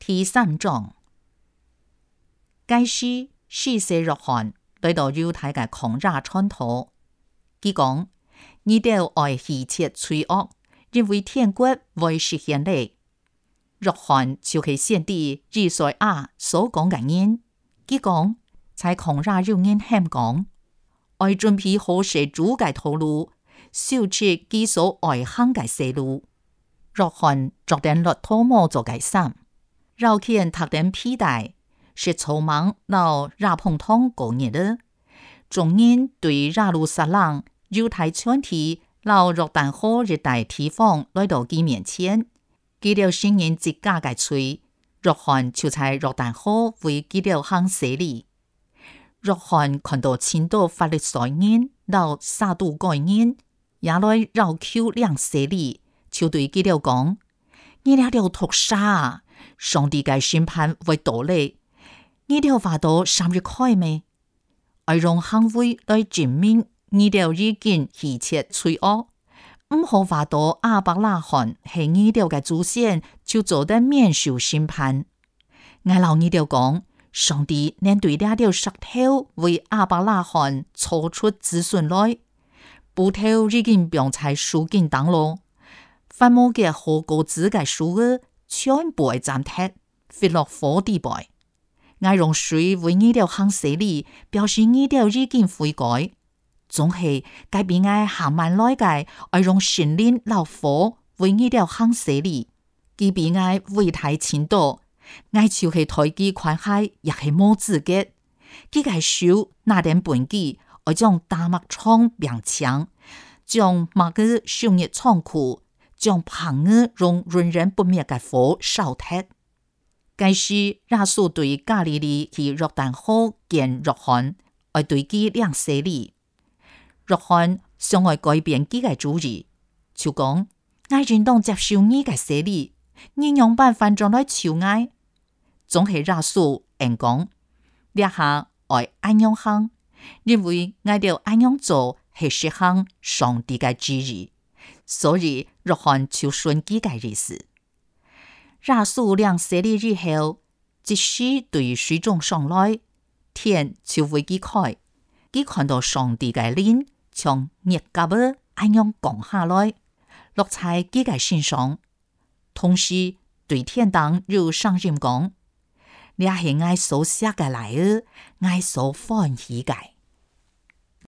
第3章，該時士師約翰來到猶太嘅曠野傳道，佢講：你哋愛希切罪惡，因為天國會實現嘞。約翰就是先知以賽亞所講嘅人，佢講在曠野有人喊講：愛準備好些主嘅道路，修設佢所愛行嘅道路。約翰着點駱駝毛做嘅衫，繞肩踏點皮帶，是草莽老亞蓬通過日的。眾人對耶路撒冷猶太全體老約旦河一帶地方來到佢面前，佢哋承認自家嘅罪。約翰就在約旦河為佢哋行洗禮。約翰看到千多法利賽人老撒都該人也來繞口領洗禮，就對佢哋講：你哋要讀啥？上帝嘅審判會到嚟，你哋話到3日開咩？愛用行為來證明你哋已經希切罪惡，唔好話到亞伯拉罕係你哋嘅祖先，就做得免受審判。我老你哋講，上帝連對呢條石頭為亞伯拉罕抽出子孫來，布頭已經綁在樹根當咯，凡冇嘅好果子嘅樹兒，全部係斬鐵，飛落火地背。我用水為你哋行洗禮，表示你哋已經悔改。總係改變我行慢來嘅，我用神靈老火為你哋行洗禮，佢比我為太前多。我就是台機款海，也係冇資格。佢嘅手拿點本機，我將大麥瘡變強，將麥個燒熱倉庫，將棚兒用潤人不滅嘅火燒脫。該時耶穌對加利利去約旦河見約翰，愛對佢領洗禮。約翰想愛改變佢嘅主意，就講：我應當接受你嘅洗禮，你用辦法將來求我。總係耶穌應講：你下愛安樣行，因為我哋安樣做係實行上帝嘅旨意，所以約翰就順佢嘅意思。耶穌領洗禮以後，即使對水中上來，天就為佢開，佢看到上帝嘅靈從熱甲兒安樣降下來，落在佢嘅身上，同時對天堂有聲音講：你係我所寫嘅來兒，我所歡喜嘅。